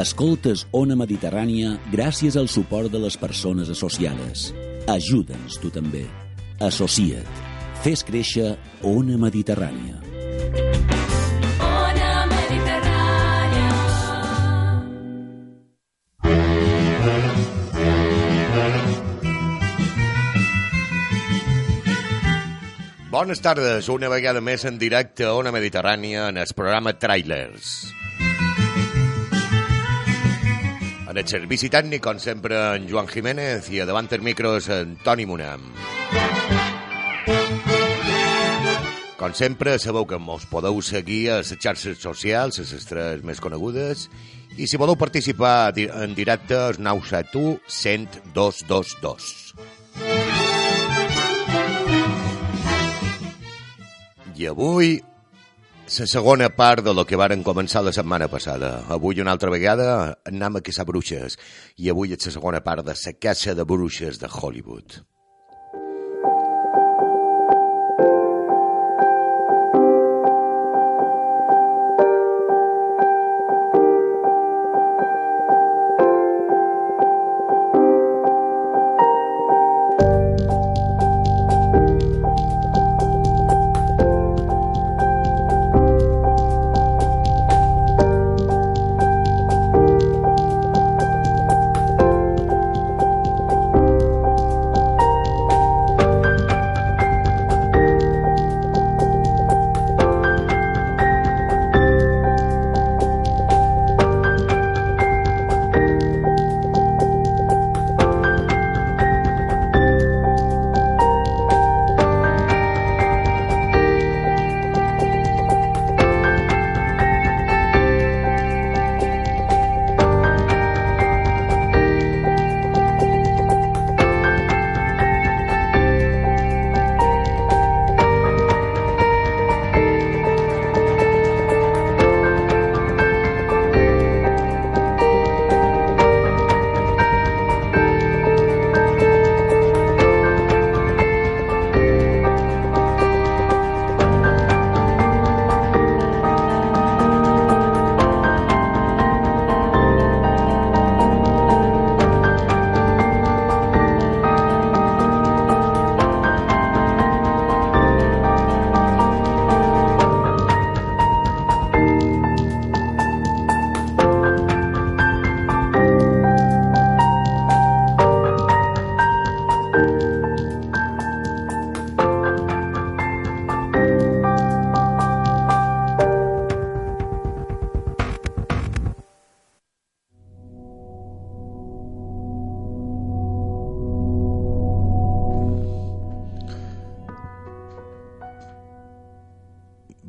Escoltes Ona Mediterrània gràcies al suport de les persones associades. Ajuda'ns tu també. Associa't. Fes créixer Ona Mediterrània. Ona Mediterrània. Bones tardes, una vegada més en directe a Ona Mediterrània en el programa Trailers. En el servici tècnic, com sempre, en Joan Jiménez i a davant els micros, en Toni Munam. Com sempre, sabeu que mos podeu seguir a les xarxes socials, a les tres més conegudes, i si voleu participar en directe, el 971 100 222. I avui, la segona part de lo que varen començar la setmana passada. Avui, una altra vegada, anem a caçar bruixes. I avui és la segona part de la caça de bruixes de Hollywood.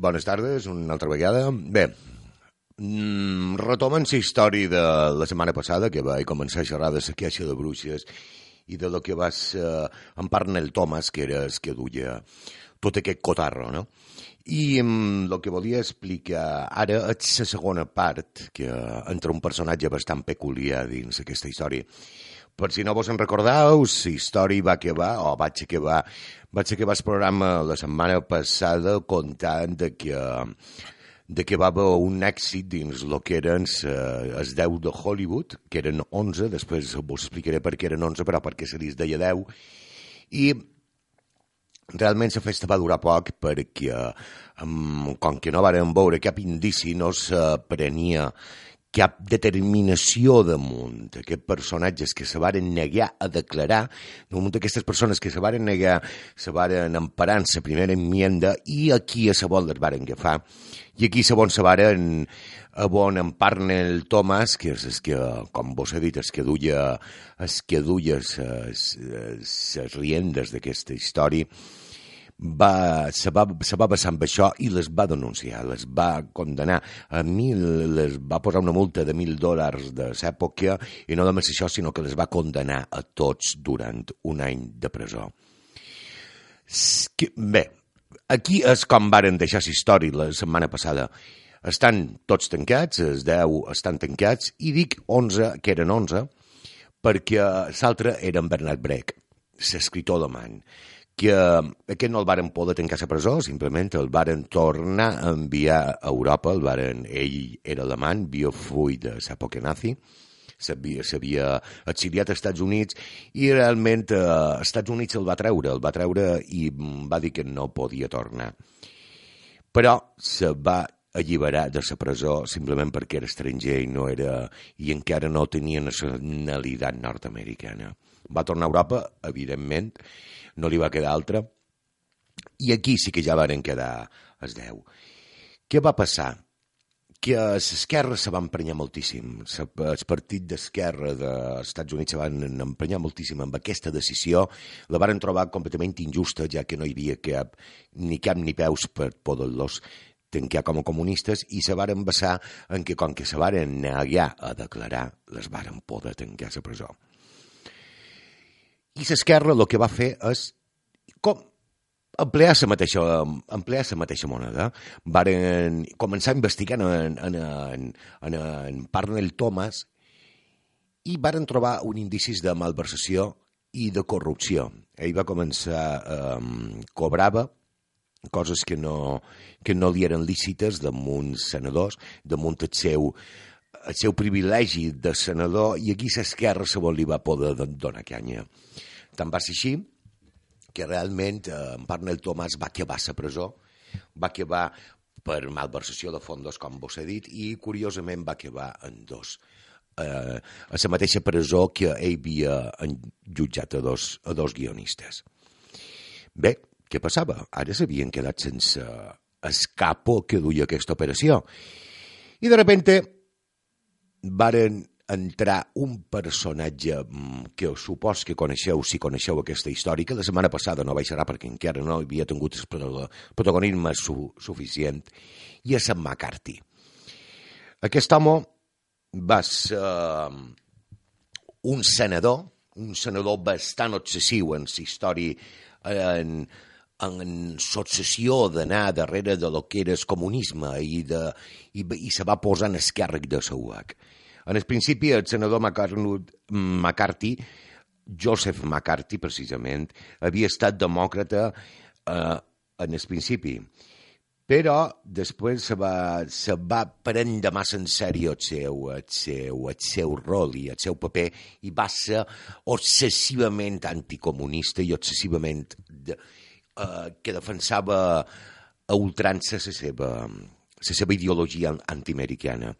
Bones tardes, una altra vegada. Bé, retomant la història de la setmana passada, que va començar a xerrar de la caça de bruixes i de lo que va ser en Parnell Thomas, que era el que duia tot aquest cotarro, no? I el que volia explicar ara és la segona part, que entra un personatge bastant peculiar dins aquesta història. Per si no vos en recordeu, la història vaig acabar el programa la setmana passada contant de que va haver un èxit dins el que eren els 10 de Hollywood, que eren 11, després vos explicaré per què eren 11, però perquè se li deia 10, i realment la festa va durar poc perquè, com que no varen veure cap indici, no s'aprenia cap determinació damunt aquests personatges que se varen negar a declarar, damunt aquestes persones que se varen negar, se varen emparar en la primera enmienda i aquí a sabon les varen agafar. I aquí a sabon se varen a bon en Parnell Thomas, que és el que, com vos he dit, el que duia les riendes d'aquesta història, se va basar en això i les va denunciar, les va condenar les va posar una multa de $1,000 de l'època i no només això, sinó que les va condenar a tots durant un any de presó. Bé, aquí és com varen deixar la història la setmana passada. Estan tots tancats, els 10 estan tancats, i dic 11, que eren 11, perquè l'altre era en Bernard Brecht, l'escriptor alemany, que aquest no el varen poder tancar a la presó, simplement el varen tornar a enviar a Europa, ell era alemany, havia fuit de l'època nazi, s'havia exiliat als Estats Units i realment als Estats Units el va treure i va dir que no podia tornar. Però se va alliberar de la presó simplement perquè era estranger i encara no tenia nacionalitat nord-americana. Va tornar a Europa, evidentment, no li va quedar altra, i aquí sí que ja varen quedar els 10. Què va passar? Que l'esquerra se va emprenyar moltíssim. El partit d'esquerra dels Estats Units se van emprenyar moltíssim amb aquesta decisió. La varen trobar completament injusta, ja que no hi havia cap ni peus per poder-los tancar com a comunistes, i se varen basar en que, com que se varen negar a declarar, les varen poder tancar a la presó. I l'esquerra el que va fer és com emplear la mateixa moneda. Varen començar a investigar en Parnell Thomas i varen trobar un indicis de malversació i de corrupció. Ell va començar cobrava coses que no li eren lícites damunt senadors, damunt el seu privilegi de senador, i aquí l'esquerra li va poder donar canya. Tant va ser així que realment en Parnell Thomas va acabar a la presó, va acabar per malversació de fondos, com vos he dit, i curiosament va acabar en dos. A la mateixa presó que ell havia jutjat a dos guionistes. Bé, què passava? Ara s'havien quedat sense el capo que duia aquesta operació. I de repente varen entrar un personatge que supos que coneixeu, si coneixeu aquesta història, que la setmana passada no vaig xerrar perquè encara no havia tingut el protagonisme suficient, i és en McCarthy. Aquest home va ser un senador bastant obsessiu en la història, en l'obsessió d'anar darrere de lo que era el comunisme i se va posar en el càrrec de la UAC. En el principi, el senador McCarthy, Joseph McCarthy, precisament, havia estat demòcrata en el principi, però després se va prendre massa en sèrio el seu rol i el seu paper, i va ser obsessivament anticomunista i obsessivament que defensava a ultrança la seva ideologia antiamericana.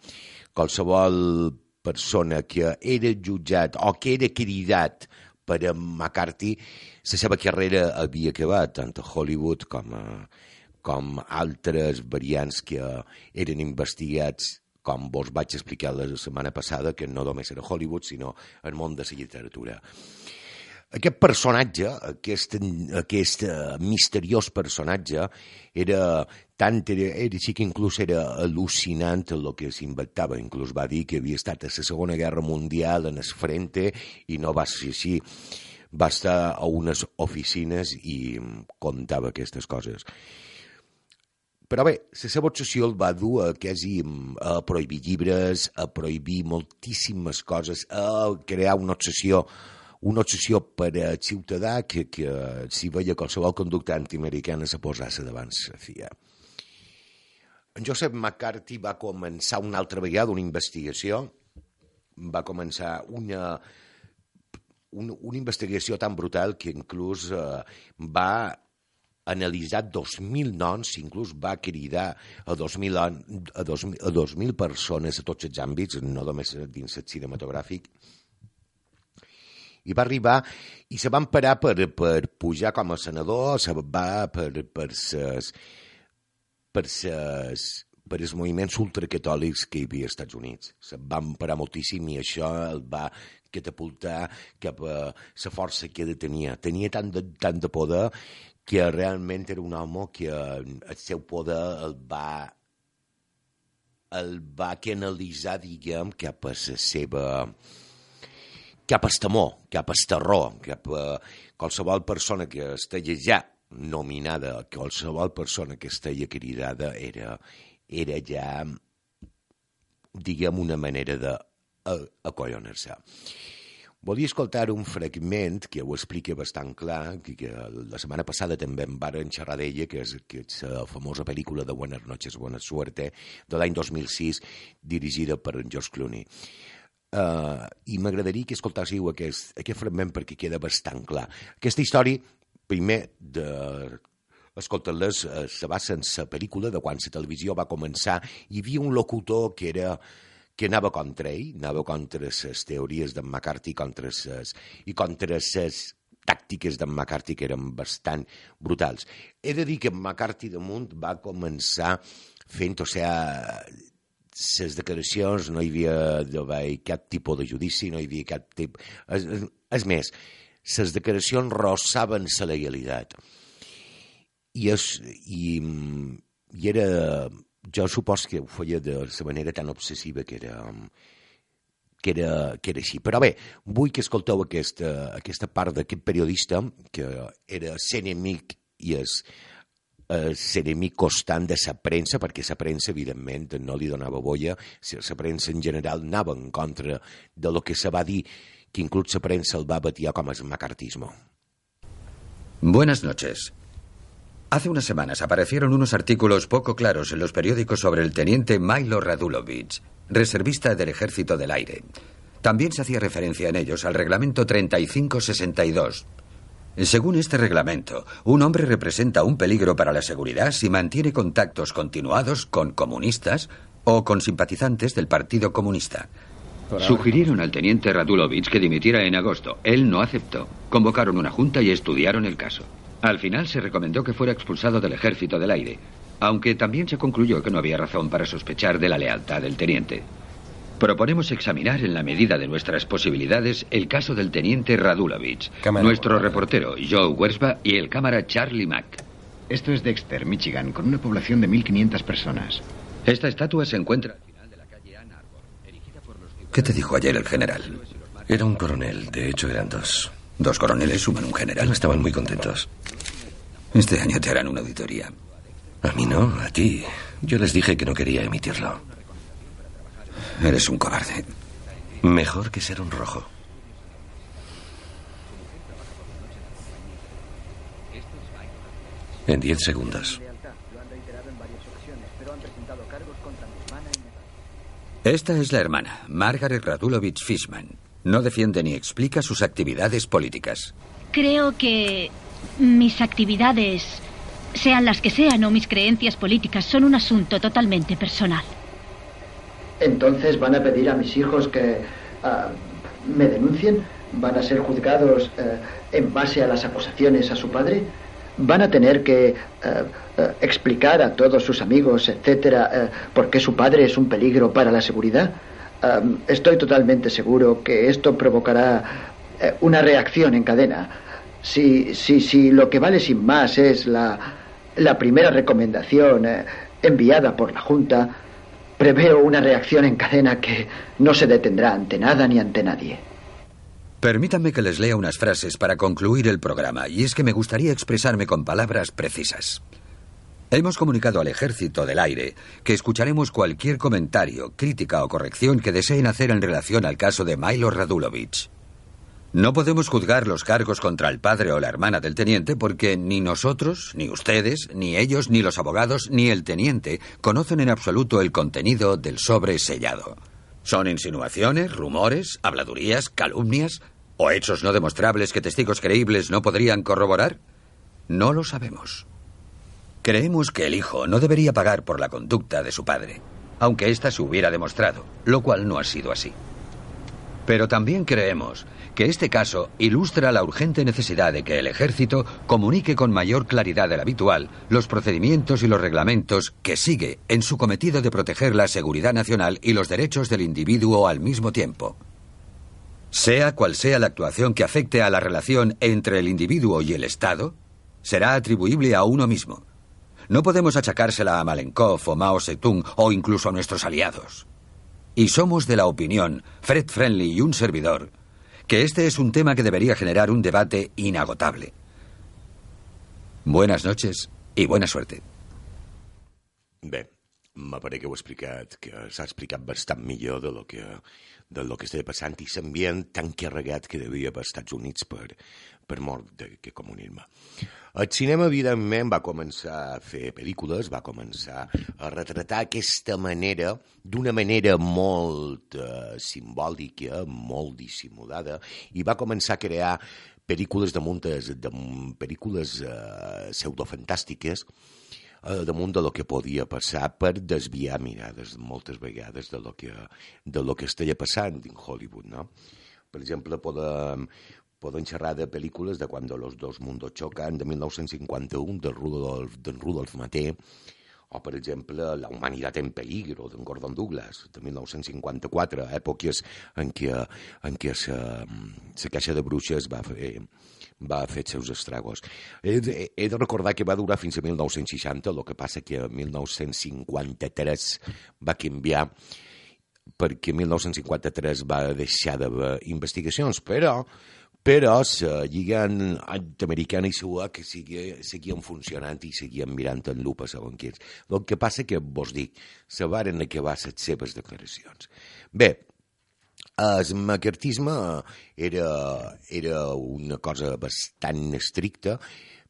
Qualsevol persona que era jutjat o que era cridat per a McCarthy, la seva carrera havia acabat, tant a Hollywood com altres variants que eren investigats, com vos vaig explicar la setmana passada, que no només era Hollywood, sinó el món de la literatura. Aquest personatge, aquest misteriós personatge, era així que inclús era al·lucinant el que s'inventava. Inclús va dir que havia estat a la Segona Guerra Mundial en el frente i no va ser així. Va estar a unes oficines i contava aquestes coses. Però bé, la seva obsessió el va dur a prohibir llibres, a prohibir moltíssimes coses, a crear una obsessió per al ciutadà que si veia qualsevol conducta antiamericana se posava davant la CIA. En Joseph McCarthy va començar una altra vegada una investigació, va començar una investigació tan brutal que inclús va analitzar 2.000 noms, inclús va cridar a 2.000 persones a tots els àmbits, no només dins el cinematogràfic, i va arribar i se va emparar per pujar com a senador, se va per els moviments ultracatòlics que hi havia als Estats Units. Se va emparar moltíssim i això el va catapultar cap a la força que tenia. Tenia tant de poder que realment era un home que el seu poder el va canalitzar, diguem, cap a la seva... cap al temor, cap al terror, cap a qualsevol persona que estigui ja nominada, qualsevol persona que estigui cridada era ja, diguem, una manera d'acollonar-se. Volia escoltar un fragment que ho explica bastant clar, que la setmana passada també em varen xerrar d'ella, que és la famosa pel·lícula de Buenas noches, buena suerte, de l'any 2006, dirigida per en George Clooney. I m'agradaria que escoltássiu aquest fragment perquè queda bastant clar. Aquesta història, primer escoltar-les, se basa en la pel·lícula de quan la televisió va començar. Hi havia un locutor que anava contra ell, anava contra les teories d'en McCarthy i contra les tàctiques d'en McCarthy, que eren bastant brutals. He de dir que McCarthy damunt va començar fent, les declaracions, no hi havia d'haver cap tipus de judici, no hi havia cap tipus... És més, les declaracions roçaven la legalitat. I era... Jo supos que ho feia de la manera tan obsessiva que era així. Però bé, vull que escolteu aquesta part d'aquest periodista que era l'enemic i l'enemic constant de la premsa, perquè la premsa, evidentment, no li donava boia. La premsa en general anava en contra de lo que se va dir, que inclús la premsa el va batear com el macartismo. Buenas noches. Hace unas semanas aparecieron unos artículos poco claros en los periódicos sobre el teniente Milo Radulovich, reservista del Ejército del Aire. También se hacía referencia en ellos al reglamento 3562. Según este reglamento, un hombre representa un peligro para la seguridad si mantiene contactos continuados con comunistas o con simpatizantes del Partido Comunista. Sugirieron al teniente Radulovich que dimitiera en agosto. Él no aceptó. Convocaron una junta y estudiaron el caso. Al final se recomendó que fuera expulsado del Ejército del Aire, aunque también se concluyó que no había razón para sospechar de la lealtad del teniente. Proponemos examinar en la medida de nuestras posibilidades el caso del teniente Radulovich, nuestro reportero Joe Wersba y el cámara Charlie Mack. Esto es Dexter, Michigan, con una población de 1.500 personas. Esta estatua se encuentra al final de la calle Ann Arbor, erigida por los... ¿Qué te dijo ayer el general? Era un coronel, de hecho eran dos. Dos coroneles suman un general. No estaban muy contentos. Este año te harán una auditoría. A mí no, a ti. Yo les dije que no quería emitirlo. Eres un cobarde. Mejor que ser un rojo. En 10 segundos. Esta es la hermana, Margaret Radulovich Fishman. No defiende ni explica sus actividades políticas. Creo que mis actividades, sean las que sean, o mis creencias políticas, son un asunto totalmente personal. Entonces, ¿van a pedir a mis hijos que me denuncien? ¿Van a ser juzgados en base a las acusaciones a su padre? ¿Van a tener que explicar a todos sus amigos, etcétera, por qué su padre es un peligro para la seguridad? Estoy totalmente seguro que esto provocará una reacción en cadena. Si lo que vale sin más es la primera recomendación enviada por la Junta, preveo una reacción en cadena que no se detendrá ante nada ni ante nadie. Permítanme que les lea unas frases para concluir el programa, y es que me gustaría expresarme con palabras precisas. Hemos comunicado al Ejército del Aire que escucharemos cualquier comentario, crítica o corrección que deseen hacer en relación al caso de Milo Radulovich. No podemos juzgar los cargos contra el padre o la hermana del teniente porque ni nosotros, ni ustedes, ni ellos, ni los abogados, ni el teniente conocen en absoluto el contenido del sobre sellado. ¿Son insinuaciones, rumores, habladurías, calumnias o hechos no demostrables que testigos creíbles no podrían corroborar? No lo sabemos. Creemos que el hijo no debería pagar por la conducta de su padre, aunque ésta se hubiera demostrado, lo cual no ha sido así. Pero también creemos que este caso ilustra la urgente necesidad de que el Ejército comunique con mayor claridad de la habitual los procedimientos y los reglamentos que sigue en su cometido de proteger la seguridad nacional y los derechos del individuo al mismo tiempo. Sea cual sea la actuación que afecte a la relación entre el individuo y el Estado, será atribuible a uno mismo. No podemos achacársela a Malenkov o Mao Zedong o incluso a nuestros aliados. Y somos de la opinión, Fred Friendly y un servidor, que este es un tema que debería generar un debate inagotable. Buenas noches y buena suerte. Bé, m'apareix que que s'ha explicat bastant millor de lo que estava passant i s'ambient tan carregat que devia per Estats Units per mort d'aquest comunisme. El cinema, evidentment, va començar a fer pel·lícules, va començar a retratar aquesta manera, d'una manera molt simbòlica, molt dissimulada, i va començar a crear pel·lícules pel·lícules pseudofantàstiques damunt de lo que podia passar per desviar mirades moltes vegades de lo que estava passant en Hollywood, no? Per exemple, podem xerrar de pel·lícules de Cuando los dos mundos chocan, de 1951, d'en Rudolf Maté, o, per exemple, La humanitat en peligro, d'en Gordon Douglas, de 1954, èpoques en què la caixa de bruixes va fer els seus estragos. He de recordar que va durar fins a 1960, el que passa que a 1953 va canviar, perquè 1953 va deixar d'haver investigacions, però la Lliga Americana i SUAC seguien funcionant i seguien mirant en lupa segons quins. El que passa que, vos dic, se varen acabar les seves declaracions. Bé, el macartisme era una cosa bastant estricta,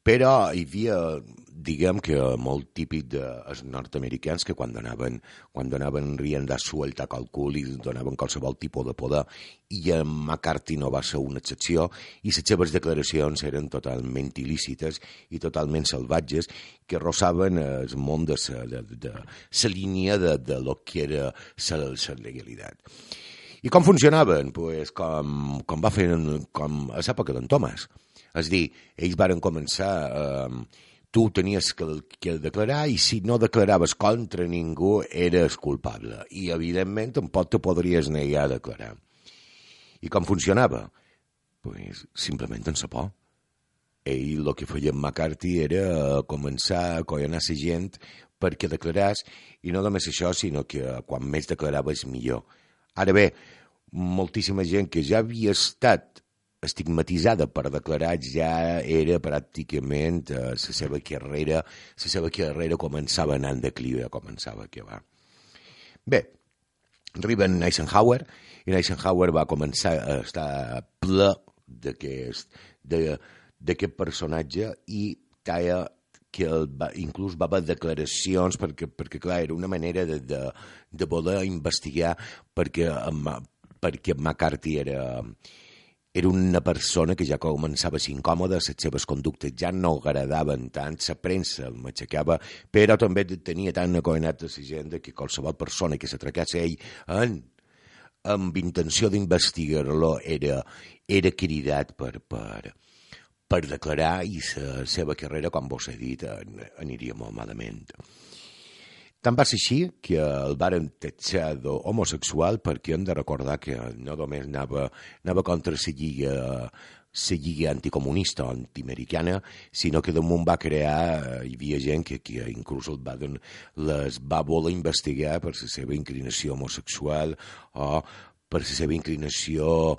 però hi havia, diguem que molt típic dels nord-americans que quan donaven rienda suelta a calcul i donaven qualsevol tipus de poder, i en McCarthy no va ser una excepció, i les seves declaracions eren totalment il·lícites i totalment salvatges, que rosaven el món de la línia de lo que era la legalitat. I com funcionaven? Pues com va fer com a l'època d'en Thomas. És a dir, ells varen començar, tu tenies que declarar i si no declaraves contra ningú eres culpable. I, evidentment, tampoc te podries negar a declarar. I com funcionava? Pues, simplement en la por. Ell el que feia en McCarthy era començar a collonar la gent perquè declaràs, i no només això, sinó que quan més declaraves millor. Ara bé, moltíssima gent que ja havia estat estigmatitzada per declarar ja era pràcticament la seva carrera començava a anar en declive, començava a acabar. Bé, arriba Eisenhower, i Eisenhower va començar a estar ple d'aquest personatge i talla que inclús va haver declaracions perquè clar, era una manera de voler investigar perquè McCarthy era una persona que ja començava a ser incòmoda, les seves conductes ja no agradaven tant, la premsa el matxacava, però també tenia tan acollonat a la gent que qualsevol persona que s'atracés a ell amb intenció d'investigar-lo era cridat per declarar i la seva carrera, com vos he dit, aniria molt malament. Tant va ser així que el varen tatxar d'homosexual perquè hem de recordar que no només anava contra la lliga anticomunista o antiamericana, sinó que damunt va crear, hi havia gent que inclús les va voler investigar per la seva inclinació homosexual o per la seva inclinació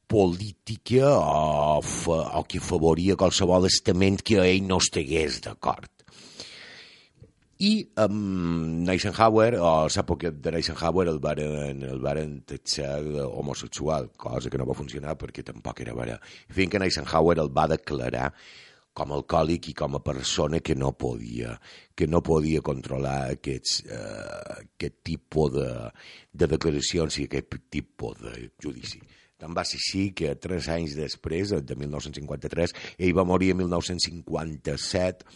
política o que favoria qualsevol estament que ell no estigués d'acord. I Eisenhower, o a l'època d'Eisenhower, el varen tatxar d'homosexual, cosa que no va funcionar perquè tampoc era vera. Fins que Eisenhower el va declarar com a alcohòlic i com a persona que no podia controlar aquest tipus de declaracions i aquest tipus de judici. Tant va ser així que 3 anys després, de 1953, ell va morir en 1957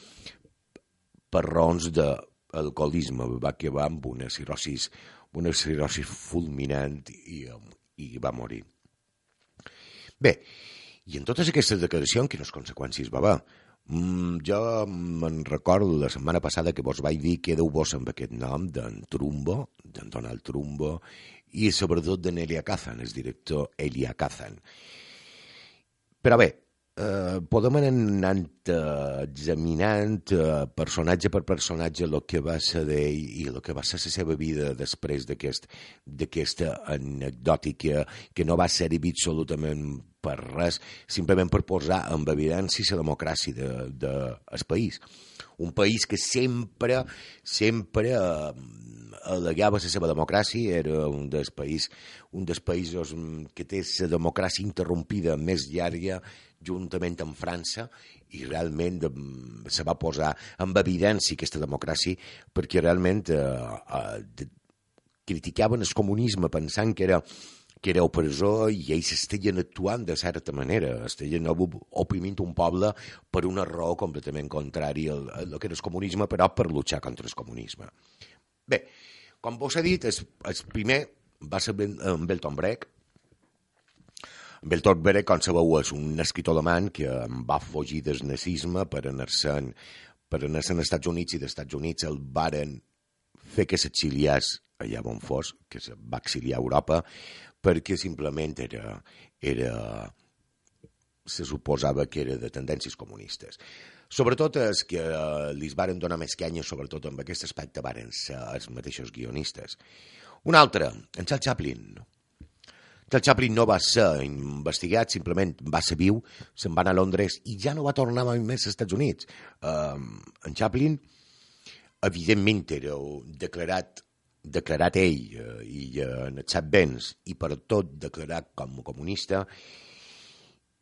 per raons d'alcoholisme. Va acabar amb una cirrosi fulminant i va morir. Bé, i en totes aquestes declaracions, quines conseqüències va haver? Jo me'n recordo la setmana passada que vos vaig dir quedeu-vos amb aquest nom d'en Donald Trumbo, i sobretot d'en Elia Kazan, el director Elia Kazan. Però bé, podem anar examinant personatge per personatge el que va ser d'ell i el que va ser la seva vida després d'aquesta anecdòtica que no va servir absolutament per res, simplement per posar en evidència la democràcia del país. Un país que sempre al·legava la seva democràcia, era un dels països que té la democràcia interrompida més llarga, juntament amb França, i realment se va posar en evidència aquesta democràcia perquè realment criticaven el comunisme pensant que era opressor i ells estaven actuant de certa manera, estaven oprimint un poble per una raó completament contrària al que era el comunisme, però per luchar contra el comunisme. Bé, com vos he dit, el primer va ser en Bertolt Brecht. Bertolt Brecht, com sabeu, és un escritor alemany que va fugir del nazisme per anar-se'n als Estats Units, i dels Estats Units el varen fer que s'exiliés allà on fos, que se va exiliar a Europa, perquè simplement se suposava que era de tendències comunistes. Sobretot els que li varen donar més canya, sobretot en aquest aspecte, varen ser els mateixos guionistes. Un altre, en Charles Chaplin. Charles Chaplin no va ser investigat, simplement va ser viu, se'n va anar a Londres i ja no va tornar mai més als Estats Units. En Chaplin, evidentment, era declarat ell i en els set vents i per tot declarat com a comunista,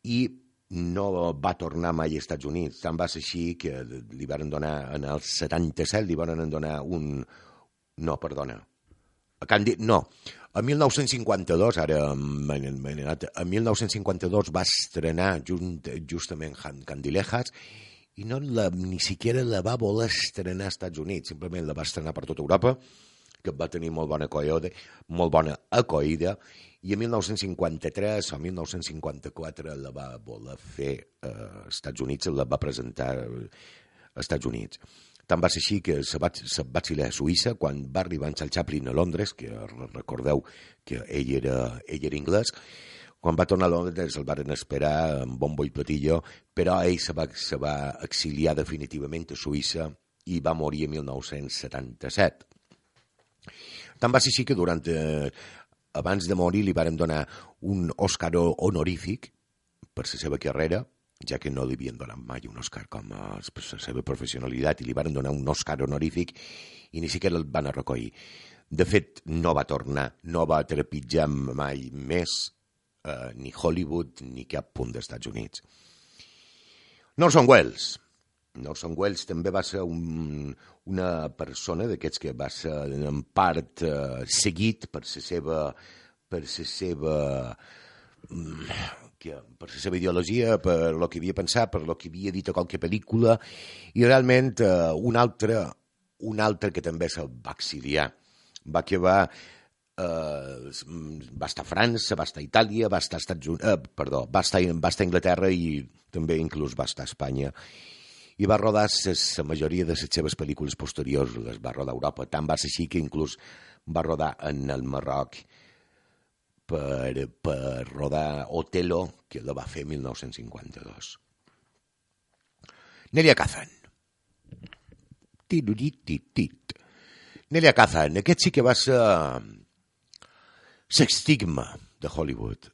i no va tornar mai als Estats Units. Tant va ser així que li van donar, en el 77, li van donar un... No, perdona. En 1952, en 1952 va estrenar justament Candilejas i ni siquiera la va voler estrenar als Estats Units, simplement la va estrenar per tota Europa, que va tenir molt bona acollida, i en 1953 o 1954 la va voler fer als Estats Units, la va presentar als Estats Units. Tant va ser així que se va exiliar a Suïssa quan va arribar en Charles Chaplin a Londres, que recordeu que ell era anglès. Quan va tornar a Londres el van esperar amb bombo i platillo, però ell se va exiliar definitivament a Suïssa i va morir en 1977. Tant va ser així que abans de morir li van donar un Òscar honorífic per la seva carrera, ja que no li havien donat mai un Òscar com a la seva professionalitat, i li van donar un Òscar honorífic i ni siquiera el van recollir. De fet, no va tornar, no va trepitjar mai més ni Hollywood ni cap punt dels Estats Units. Orson Welles també va ser una persona d'aquests que va ser en part seguit per la ideologia, per el que havia pensat, per el que havia dit a qualque pel·lícula, i realment un altre que també se'l va exiliar. Va estar a França, va estar a Itàlia, va estar a Anglaterra i també inclús va estar a Espanya. I va rodar la majoria de les seves pel·lícules posteriors, les va rodar a Europa. Tant va ser així que inclús va rodar en el Marroc per rodar Otelo, que la va fer en 1952. Nelia Kazan. Nelia Kazan, aquest sí que va ser l'estigma de Hollywood,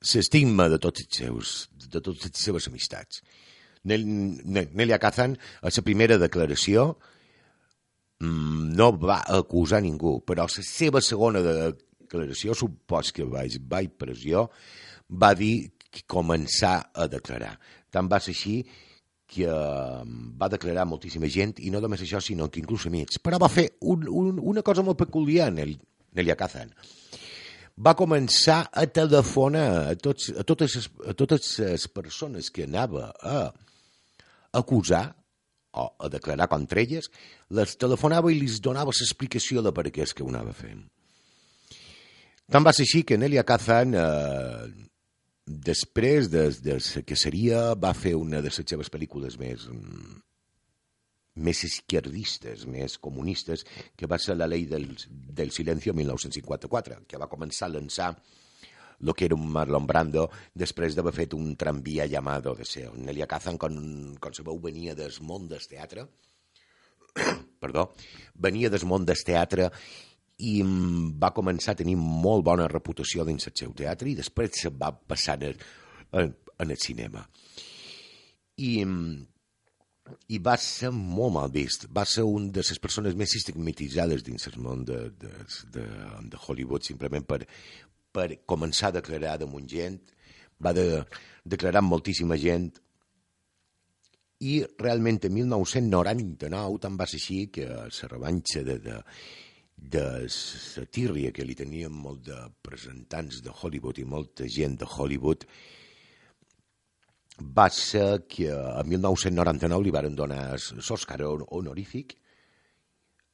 l'estigma de totes les seves amistats. Nelia Kazan, a la primera declaració, no va acusar ningú, però a la seva segona declaració, supos que vaig pressió, va dir que començar a declarar. Tant va ser així que va declarar moltíssima gent, i no només això, sinó que inclús amics. Però va fer una cosa molt peculiar, Nelia Kazan. Va començar a telefonar a totes les persones que anava a acusar o a declarar contra elles, les telefonava i les donava l'explicació de per què és que ho anava fent. Tant va ser així que Nelia Kazan, després de que seria, va fer una de les seves pel·lícules més izquierdistes, més comunistes, que va ser La ley del silencio en 1954, que va començar a lançar el que era un Marlon Brando després d'haver fet un tranvía llamado Deseo. Nelia Kazan, com sabeu, venia del món del teatre, i va començar a tenir molt bona reputació dins el seu teatre, i després se va passar en el cinema. I va ser molt mal vist. Va ser una de les persones més estigmatitzades dins el món de Hollywood, simplement per començar a declarar damunt gent. Va declarar moltíssima gent. I realment en 1999 tant va ser així que la revanxa de la tírria que li tenien molt de representants de Hollywood i molta gent de Hollywood va ser que en 1999 li varen donar l'Òscar honorífic.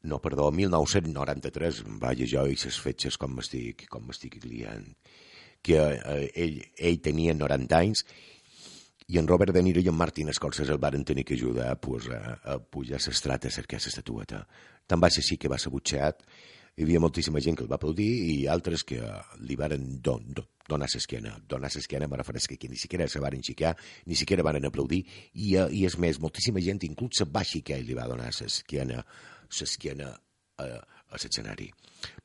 No, perdó, en 1993, vaja jo i les fetges com m'estic liant, que ell tenia 90 anys i en Robert De Niro i en Martin Scorsese el varen tenir que ajudar a pujar l'estrata a cercar l'estatueta. Tant va ser així que va ser butxat, hi havia moltíssima gent que el va aplaudir i altres que li varen donar l'esquena. Donar l'esquena me refereix que ni siquiera se varen xicar, ni siquiera varen aplaudir i és més, moltíssima gent inclús se va xicar i li va donar l'esquena a l'escenari.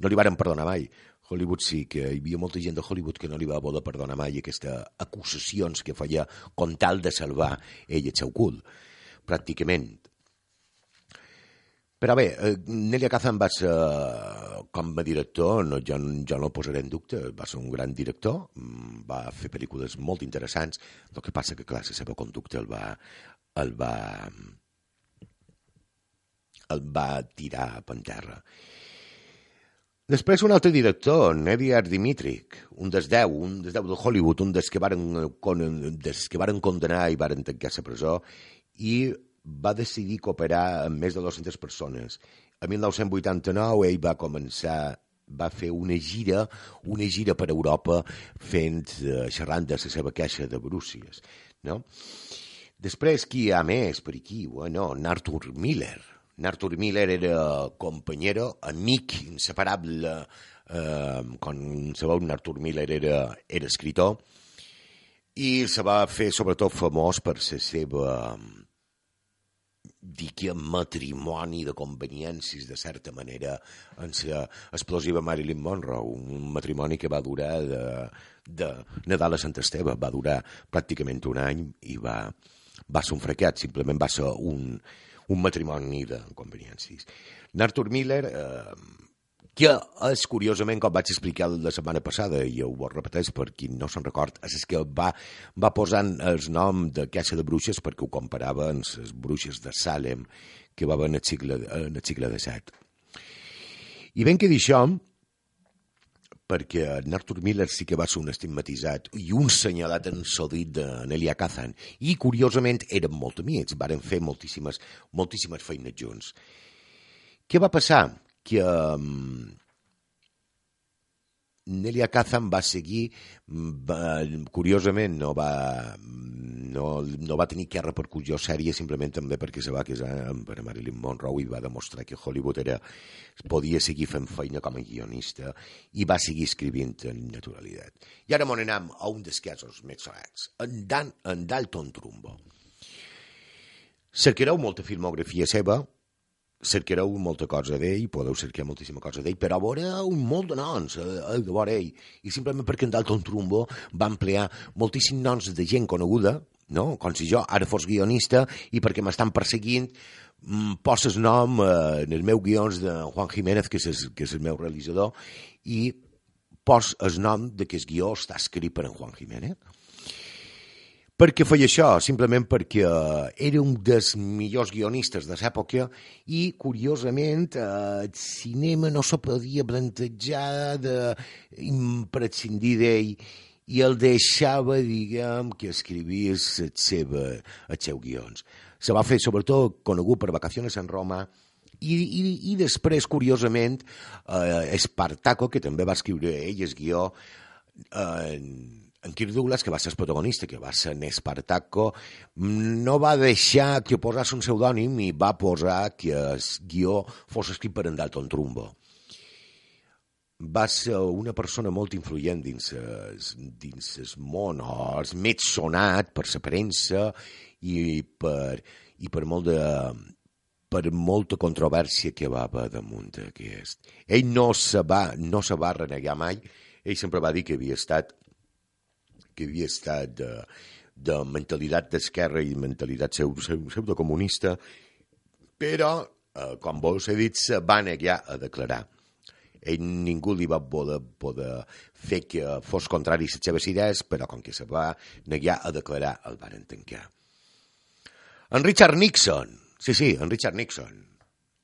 No li varen perdonar mai. Hollywood sí que hi havia molta gent de Hollywood que no li va voler perdonar mai aquestes acusacions que feia con tal de salvar ell el seu cul, pràcticament. Però bé, Nelia Kazan va ser, com a director, jo no el posaré en dubte, va ser un gran director, va fer pel·lícules molt interessants, el que passa que, clar, la seva conducta el va tirar per terra. Després un altre director, Neviyar Dimitric, un dels 10 de Hollywood, un dels que varen condenar i varen tancar a la presó, i va decidir cooperar amb més de 200 persones. En 1989 ell va fer una gira per Europa xerrant de la seva caixa de brúcies. No? Després, qui hi ha més per aquí? Bueno, Arthur Miller. Arthur Miller era compañero, amic inseparable. Quan sabeu, Arthur Miller era escritor i se va fer sobretot famós per la seva matrimoni de conveniències, de certa manera, en l'explosiva Marilyn Monroe, un matrimoni que va durar de Nadal a Sant Esteve, va durar pràcticament un any i va ser un fracàs, simplement va ser un matrimoni de conveniències. Arthur Miller, que és curiosament, com vaig explicar la setmana passada, i ho repeteix per qui no se'n record, és que va posant el nom de Caixa de Bruixes perquè ho comparava amb les bruixes de Salem que va haver en el segle XVII. I ben que dir això, perquè Arthur Miller sí que va ser un estigmatitzat i un senyalat ensodit de Nelia Kazan, i curiosament eren molt amics, varen fer moltíssimes feines junts. Què va passar? Que Nelia Kazan va seguir, curiosament no va tenir cap repercussió sèria, simplement també perquè se va casar amb Marilyn Monroe i va demostrar que Hollywood podia seguir fent feina com a guionista i va seguir escrivint en naturalitat. I ara anem a un dels casos més sonats, en Dalton Trumbo. Cercareu molta filmografia seva, cercareu molta cosa d'ell, podeu cercar moltíssima cosa d'ell, però veureu molt de noms de vora ell. I simplement perquè en Dalton Trumbo va emplear moltíssims noms de gent coneguda, no? Com si jo ara fos guionista i perquè m'estan perseguint poses nom en els meus guions de Juan Jiménez, que és el meu realitzador, i pos el nom de que el guió està escrit per en Juan Jiménez. Per què feia això? Simplement perquè era un dels millors guionistes de l'època i, curiosament, el cinema no se podia plantejar d'imprescindir d'ell i el deixava, diguem, que escrivís els seus guions. Se va fer, sobretot, conegut per Vacaciones en Roma i després, curiosament, Espartaco, que també va escriure ell el guió en Kirk Douglas, que va ser el protagonista, que va ser en Espartaco, no va deixar que posés un pseudònim i va posar que el guió fos escrit per en Dalton Trumbo. Va ser una persona molt influent dins el món, o el més sonat per la premsa i per molta controvèrsia que va haver damunt d'aquest. Ell no se va renegar mai, ell sempre va dir que havia estat que havia estat de mentalitat d'esquerra i mentalitat pseudocomunista, però, com vos he dit, se va negar a declarar. Ningú li va poder fer que fos contrari a les seves idees, però com que se va negar a declarar, el van tancar. En Richard Nixon, sí, en Richard Nixon,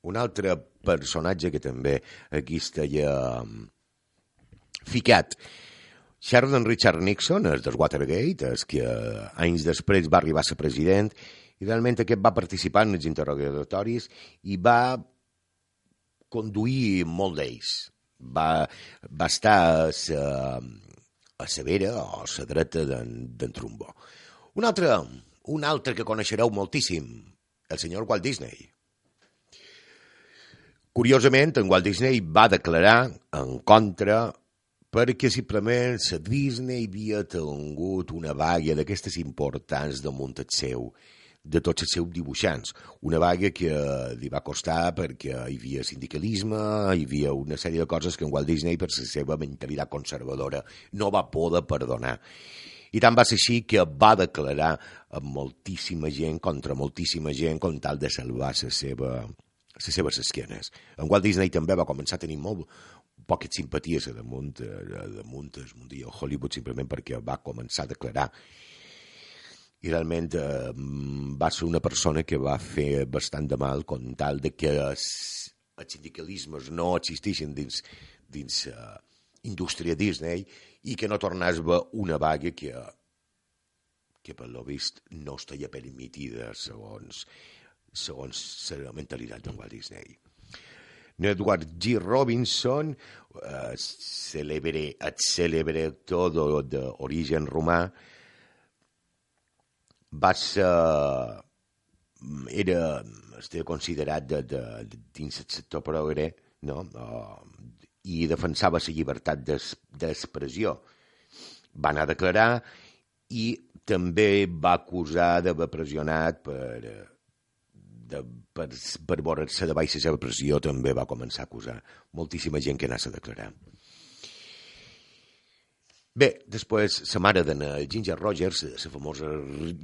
un altre personatge que també aquí estaria ficat. Sheridan Richard Nixon, el del Watergate, el que anys després va arribar a ser president, i realment aquest va participar en els interrogatoris i va conduir molt d'ells. Va estar a la vera o a la dreta d'en Trumbo. Un altre que coneixereu moltíssim, el senyor Walt Disney. Curiosament, en Walt Disney va declarar en contra perquè simplement la Disney havia tingut una vaga d'aquestes importants damunt el seu, de tots els seus dibuixants. Una vaga que li va costar perquè hi havia sindicalisme, hi havia una sèrie de coses que en Walt Disney, per la seva mentalitat conservadora, no va poder perdonar. I tant va ser així que va declarar amb moltíssima gent, contra moltíssima gent, com tal de salvar les seves esquenes. En Walt Disney també va començar a tenir molt poques simpaties damunt el mundillo Hollywood, simplement perquè va començar a declarar. I realment va ser una persona que va fer bastant de mal com tal de que els sindicalismes no existeixen dins indústria Disney i que no tornés a una vaga que per lo vist no estaria permitida segons la mentalitat de Walt Disney. Edward G. Robinson, cèlebre actor d'origen romà, estava considerat dins el sector progre, no? I defensava la llibertat d'expressió. Va anar a declarar i també va acusar d'haver pressionat per veure-se de baix la seva pressió, també va començar a acusar moltíssima gent que anés a declarar. Bé, després, la mare de Ginger Rogers, la famosa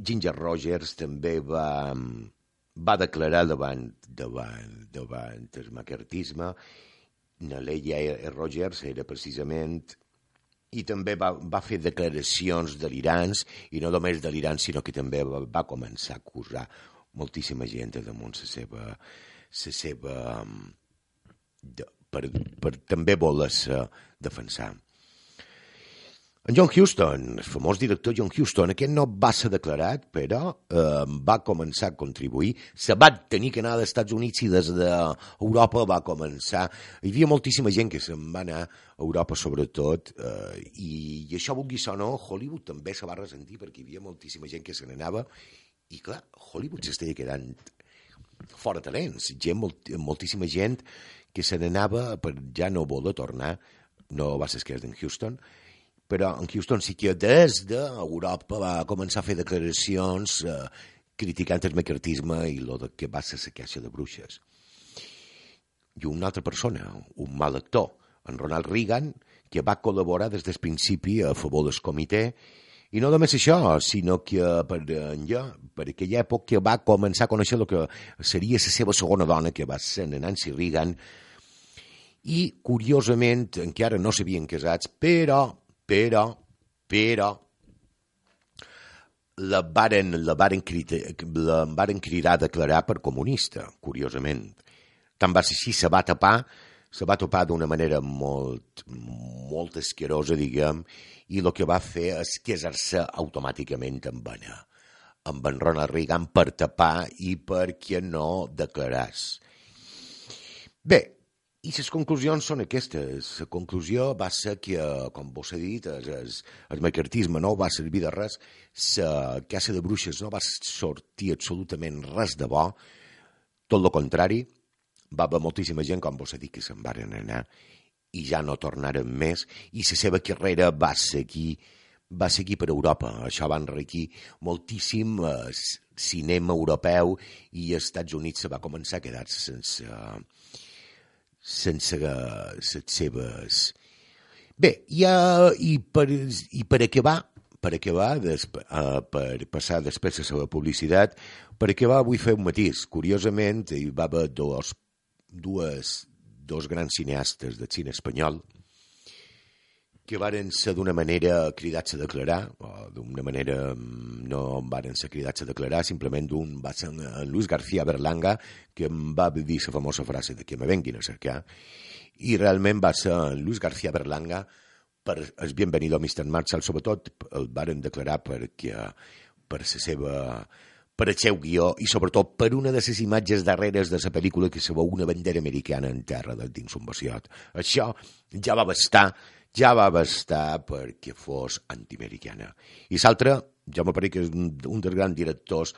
Ginger Rogers, també va declarar davant el macartisme. Leia Rogers era precisament... I també va fer declaracions delirants, i no només delirants, sinó que també va començar a acusar moltíssima gent damunt la seva per també voler-se defensar. En John Huston, el famós director John Huston, aquest no va ser declarat, però va començar a contribuir. Se va tenir que anar als Estats Units i des d'Europa va començar... Hi havia moltíssima gent que se'n va anar a Europa, sobretot, i això, vulguis o no, Hollywood també se va ressentir perquè hi havia moltíssima gent que se n'anava i, clar, Hollywood s'estava quedant fora talents. Moltíssima gent que se n'anava per ja no voler tornar. No va ser el cas d'en Houston, però en Houston sí que des d'Europa va començar a fer declaracions criticant el macartisme i el que va ser la caça de bruixes. I una altra persona, un mal actor, en Ronald Reagan, que va col·laborar des del principi a favor del comitè, i no només això, sinó que per aquella època va començar a conèixer el que seria la seva segona dona, que va ser Nancy Reagan, i curiosament encara no s'havien casats, però la varen cridar a declarar per comunista, curiosament. Tant va ser així, se va topar d'una manera molt asquerosa, diguem, i el que va fer és casar-se automàticament amb en Ronald Reagan per tapar i perquè no declaràs. Bé, i les conclusions són aquestes. La conclusió va ser que, com vos he dit, el macartisme no va servir de res, la caça de bruixes no va sortir absolutament res de bo, tot el contrari, va haver moltíssima gent, com vos he dit, que se'n varen anar i ja no tornaren més, i la seva carrera va seguir per Europa. Això va enriquir moltíssim cinema europeu i als Estats Units se va començar a quedar-se sense les seves... Bé, i per acabar, per acabar, per passar després a la publicitat, per acabar vull fer un matís. Curiosament, hi va haver dos grans cineastes del cine espanyol que varen ser d'una manera cridats a declarar, o d'una manera no varen ser cridats a declarar, simplement un va ser en Luis García Berlanga, que em va dir la famosa frase de que me venguin a cercar, i realment va ser en Luis García Berlanga per el Bienvenido a Mr. Marshall, sobretot el varen declarar per el seu guió i sobretot per una de les imatges darreres de la pel·lícula que se veu una bandera americana en terra dins un vaciot. Això ja va bastar perquè fos antiamericana. I l'altre, jo m'apareix que és un dels grans directors,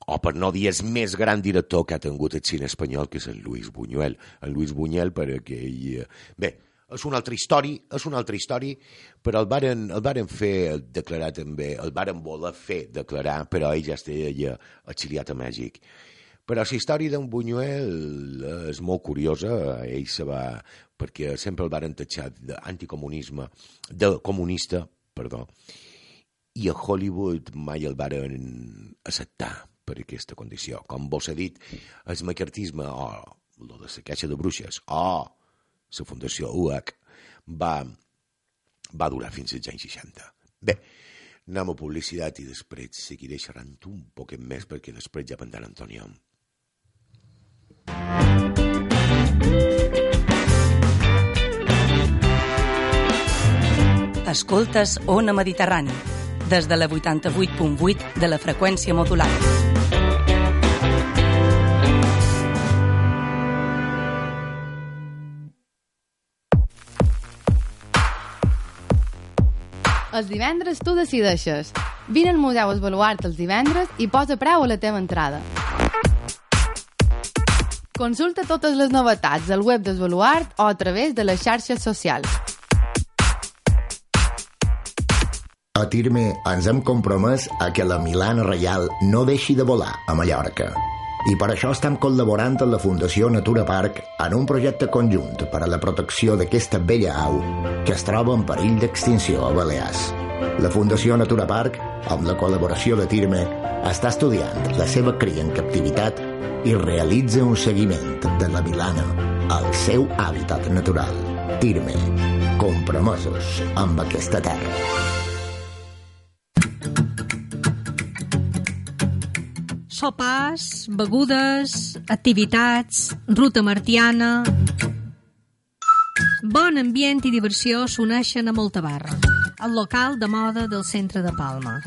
o per no dir el més gran director que ha tingut el cine espanyol, que és en Luis Buñuel. En Luis Buñuel, perquè ell... Bé, és una altra història, però el varen fer declarar també, el varen voler fer declarar, però ell ja estava exiliat a Mèxic. Però la història d'en Buñuel és molt curiosa, ell se va... perquè sempre el varen tatxar comunista, i a Hollywood mai el varen acceptar per aquesta condició. Com vos he dit, el macartisme, o lo de la caixa de bruixes, o la Fundació UH, va durar fins als anys 60. Bé, anem a publicitat i després seguiré xerrant un poquet més perquè després ja prendrà Antonio. Escoltes Ona Mediterrani, des de la 88.8 de la freqüència modulada. Els divendres tu decideixes. Vine al Museu Esbaluart els divendres i posa preu a la teva entrada. Consulta totes les novetats al web d'Esbaluart o a través de les xarxes socials. A Tirme ens hem compromès a que la Milana Reial no deixi de volar a Mallorca. I per això estem col·laborant amb la Fundació Natura Park en un projecte conjunt per a la protecció d'aquesta bella au que es troba en perill d'extinció a Balears. La Fundació Natura Park, amb la col·laboració de Tirme, està estudiant la seva cria en captivitat i realitza un seguiment de la milana al seu hàbitat natural. Tirme, compromesos amb aquesta terra. Sopars, begudes, activitats, ruta martiana... Bon ambient i diversió s'uneixen a Moltabarra, el local de moda del centre de Palma.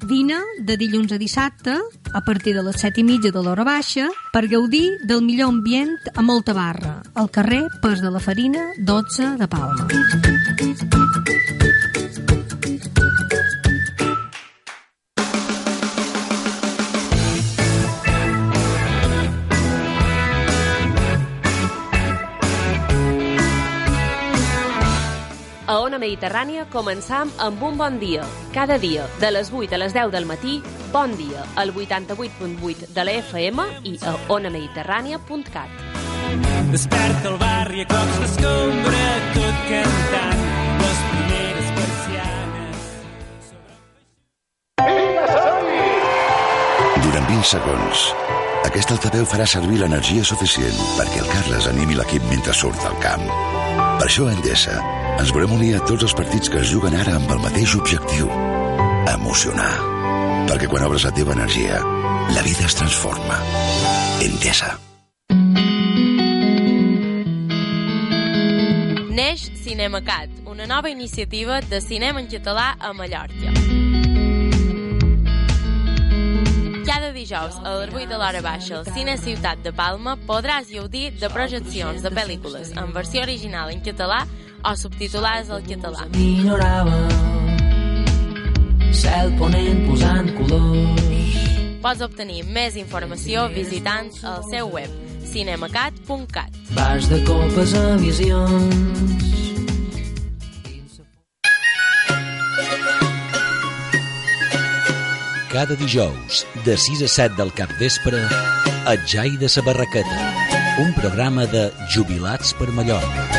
Vine de dilluns a dissabte, a partir de les 7:30 de l'hora baixa, per gaudir del millor ambient a Moltabarra, al carrer Pes de la Farina, 12 de Palma. A Ona Mediterrània començam amb un bon dia. Cada dia, de les 8 a les 10 del matí, bon dia, al 88.8 de la FM i a onamediterrània.cat. Desperta el barri a cops d'escombra, tot cantant les primeres persianes. Durant 20 segons, aquest altaveu farà servir l'energia suficient perquè el Carles animi l'equip mentre surt al camp. Per això a Endesa ens volem unir a tots els partits que es juguen ara amb el mateix objectiu: emocionar. Perquè quan obres la teva energia, la vida es transforma. Endesa. Neix CinemaCat, una nova iniciativa de cinema en català a Mallorca. Cada dijous a les 8 de l'hora baixa al Cine Ciutat de Palma podràs gaudir de projeccions de pel·lícules en versió original en català o subtitulades al català. Cel ponent posant colors. Pots obtenir més informació visitant el seu web cinemacat.cat. Vas de copes a visions. Cada dijous, de 6 a 7 del capvespre, a Jai de sa Barraqueta, un programa de Jubilats per Mallorca.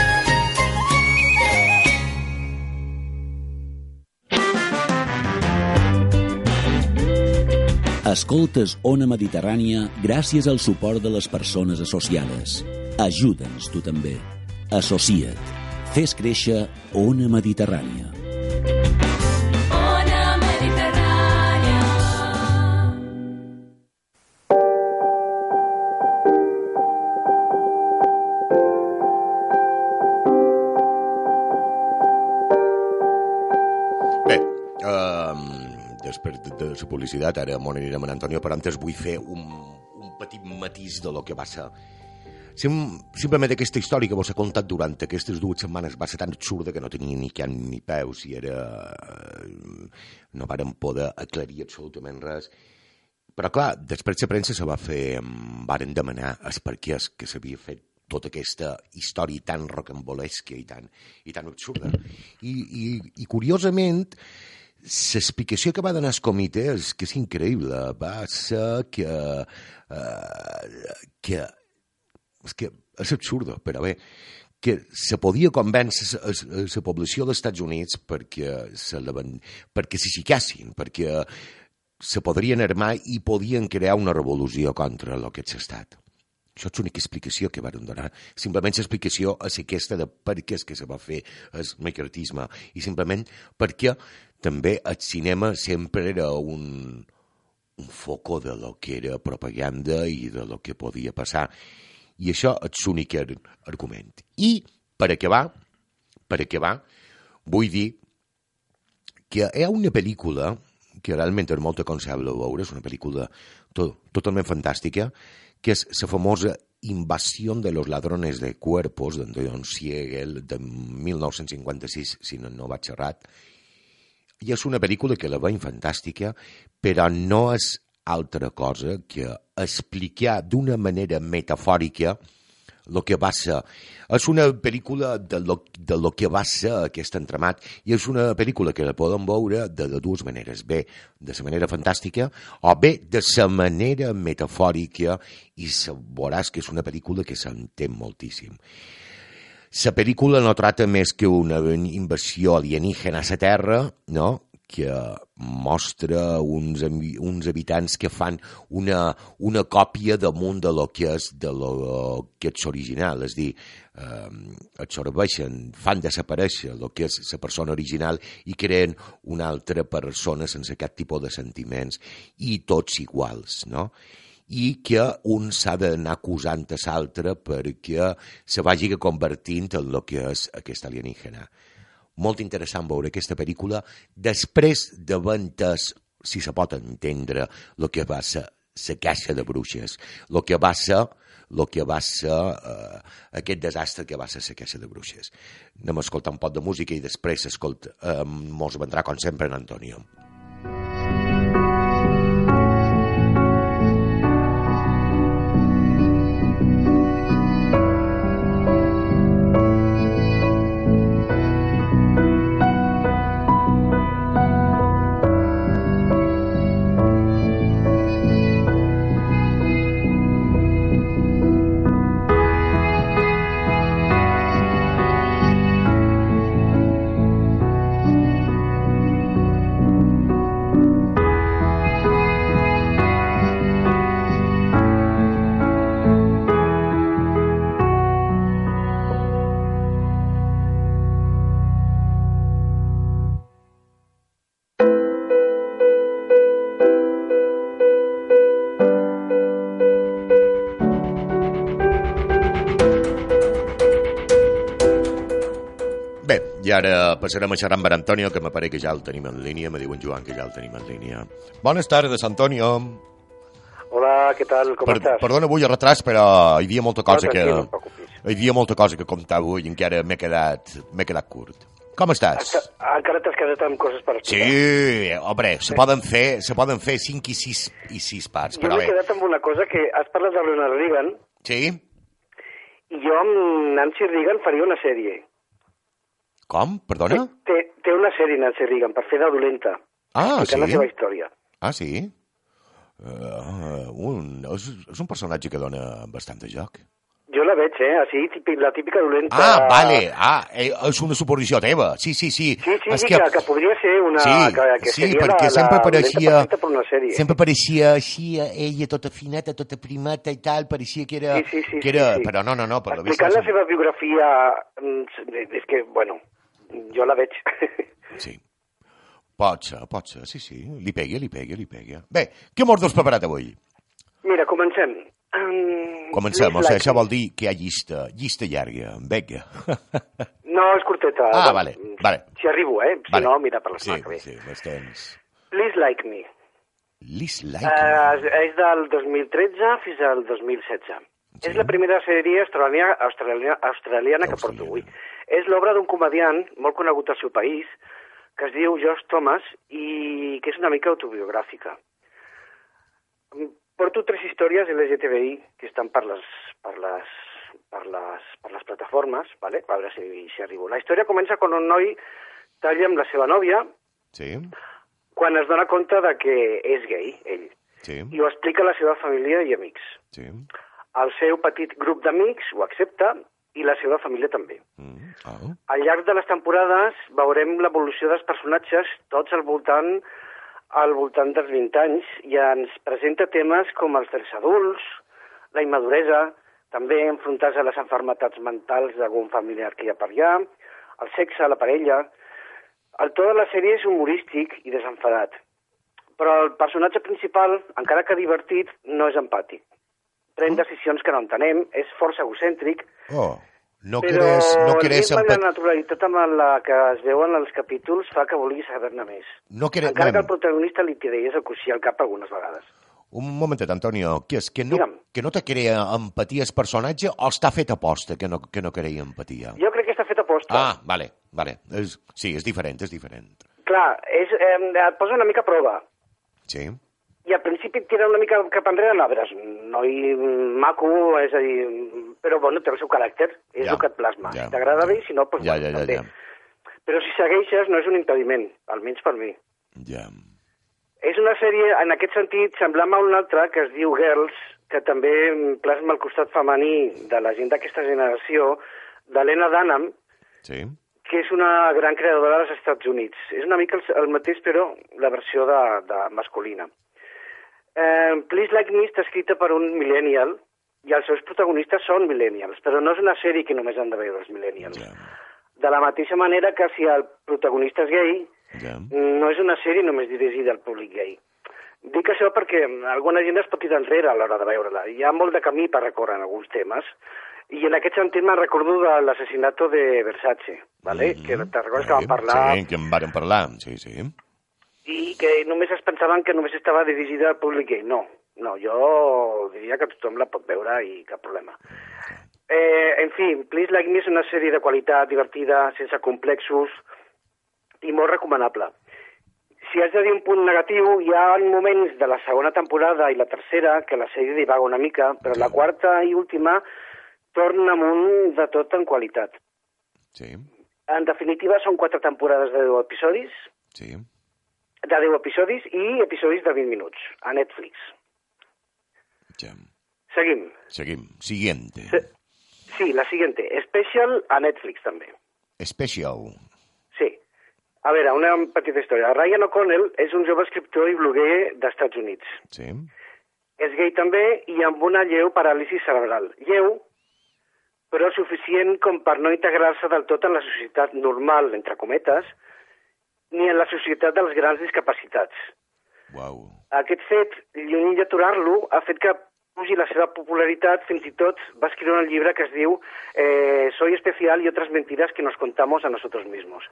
Escoltes Ona Mediterrània gràcies al suport de les persones associades. Ajuda'ns tu també. Associa't. Fes créixer Ona Mediterrània. Ona Mediterrània. Bé, després de la publicitat, ara m'ho anirem amb Antonio, però antes vull fer un petit matís de lo que va ser. Simplement aquesta història que vos he contat durant aquestes 2 setmanes va ser tan absurda que no tenia ni can ni peus i no vàrem poder aclarir absolutament res. Però clar, després la premsa se va fer, varen demanar els perquès que s'havia fet tota aquesta història tan rocambolesca i tan absurda. I curiosament, l'explicació que va donar el comitè, que és increïble, va ser que és absurda, però bé, que se podia convèncer la població dels Estats Units perquè s'aixecassin, perquè se podrien armar i podien crear una revolució contra el que és l'estat. Això és l'única explicació que van donar. Simplement l'explicació és aquesta de per què és que se va fer el macartisme i simplement perquè també el cinema sempre era un foco de lo que era propaganda i de lo que podia passar. I això és l'únic argument. I, per acabar, vull dir que hi ha una pel·lícula que realment és molt aconsellable veure, és una pel·lícula totalment fantàstica, que és la famosa Invasión de los ladrones de cuerpos, d'Anton Siegel, de 1956, si no vaig errat. I és una pel·lícula que la veiem fantàstica, però no és altra cosa que explicar d'una manera metafòrica el que va ser. És una pel·lícula de lo que va ser aquest entramat i és una pel·lícula que la podem veure de 2 maneres, bé de la manera fantàstica o bé de la manera metafòrica i veuràs que és una pel·lícula que s'entén moltíssim. La pel·lícula no trata més que una invasió alienígena a la Terra, no?, que mostra uns habitants que fan una còpia damunt de lo que és original, és a dir, absorbeixen, fan desaparèixer el que és la persona original i creen una altra persona sense cap tipus de sentiments i tots iguals, no? I que un s'ha d'anar acusant a l'altre perquè se vagi convertint en el que és aquest alienígena. Molt interessant veure aquesta pel·lícula després d'haver entès, si se pot entendre, el que va ser la caixa de bruixes, el que va ser aquest desastre que va ser la caixa de bruixes. Anem a escoltar un pot de música i després mos vendrà, com sempre, en Antonio. I ara passarem a xerrar amb Antonio, que m'apareix que ja el tenim en línia. Me diuen Joan que ja el tenim en línia. Bones tardes, Antonio. Hola, què tal? Com estàs? Perdona avui el retras, però hi havia molta cosa que comptar avui i encara m'he quedat curt. Com estàs? Encara t'has quedat amb coses per explicar. Sí, home, se poden fer 5 i 6 parts. Jo m'he quedat amb una cosa que has parlat de Ronald Reagan. Sí. I jo amb Nancy Reagan faria una sèrie. Com? Perdona? Té una sèrie, Nancy Reagan, per fer de dolenta. Sí? La seva història. Ah, sí? És un personatge que dona bastant de joc. Jo jo la veig, així, la típica dolenta... Ah, vale, és una suposició teva, sí. Sí, que podria ser una... que sí, seria perquè sempre pareixia així, ella tota fineta, tota primeta i tal, pareixia que era... Sí. Però no, per la vista... Explicant la seva biografia, és que, bueno, jo la veig. Sí. Pot ser, sí. Li pega. Bé, què mos has preparat avui? Mira, comencem. Comencem, això vol dir que hi ha llista llarga, vinga. No, és curteta. Ah, vale. Si arribo, Si no, mira per la setmana que ve. Sí, les tens. Please Like Me. Please Like Me. És del 2013 fins al 2016. Sí. És la primera sèrie australiana que porto avui. És l'obra d'un comediant molt conegut al seu país, que es diu Josh Thomas, i que és una mica autobiogràfica. Porto 3 històries LGTBI que estan per les plataformes, ¿vale? A veure si arribo. La història comença quan un noi talla amb la seva nòvia, quan es dona compte de que és gay, ell. I ho explica a la seva família i amics. El seu petit grup d'amics ho accepta i la seva família també. Al llarg de les temporades veurem l'evolució dels personatges, tots al voltant dels 20 anys, i ens presenta temes com els drets adults, la immaduresa, també enfrontar-se a les malalties mentals d'algun familiar que hi ha per allà, el sexe, la parella... El to de la sèrie és humorístic i desenfadat, però el personatge principal, encara que divertit, no és empàtic. Pren decisions que no entenem, és força egocèntric, no crees la naturalitat amb la que es veuen els capítols fa que vulguis saber-ne més. Encara que el protagonista li idees el coixí al cap algunes vegades. Un momentet, Antonio, que no te crea empatia el personatge o està fet a posta que no crea empatia? Jo crec que està fet a posta. Ah, vale. Sí, és diferent. Clar, et posa una mica a prova. Sí. I al principi et tira una mica cap enrere, no, veràs, noi maco, és a dir... Però, bueno, té el seu caràcter, és el que et plasma. Si t'agrada bé, si no, doncs també. Però si segueixes, no és un impediment, almenys per mi. És una sèrie, en aquest sentit, semblant a una altra que es diu Girls, que també plasma el costat femení de la gent d'aquesta generació, de Lena Dunham, que és una gran creadora dels Estats Units. És una mica el mateix, però la versió de masculina. Please Like Me està escrita per un millennial i els seus protagonistes són millennials, però no és una sèrie que només han de veure els millennials. De la mateixa manera que si el protagonista és gay, no és una sèrie només dirigida al públic gay. Dic això perquè alguna gent es pot tirar enrere a l'hora de veure-la. Hi ha molt de camí per recórrer en alguns temes, i en aquest sentit me'n recordo de l'assasinato de Versace, ¿vale? Que te recordes que vam parlar... Sí, que en vàrem parlar, sí. I que només es pensaven que només estava dirigida al públic gay. No, jo diria que tothom la pot veure i cap problema. En fi, Please Like Me és una sèrie de qualitat, divertida, sense complexos i molt recomanable. Si has de dir un punt negatiu, hi ha moments de la segona temporada i la tercera que la sèrie divaga una mica, però la quarta i última torna amunt de tot en qualitat. En definitiva, són 4 temporades de 10 episodis. De 10 episodis i episodis de 20 minuts a Netflix. Seguim. Siguiente. Sí, la siguiente. Special a Netflix, també. Special. Sí. A veure, una petita història. Ryan O'Connell és un jove escriptor i bloguer d'Estats Units. És gay també i amb una lleu paràlisi cerebral. Lleu, però suficient com per no integrar-se del tot en la societat normal, entre cometes, ni en la societat dels grans discapacitats. Aquest fet, lluny d'aturar-lo, ha fet que pugi la seva popularitat, fins i tot va escriure un llibre que es diu Soy especial y otras mentiras que nos contamos a nosotros mismos.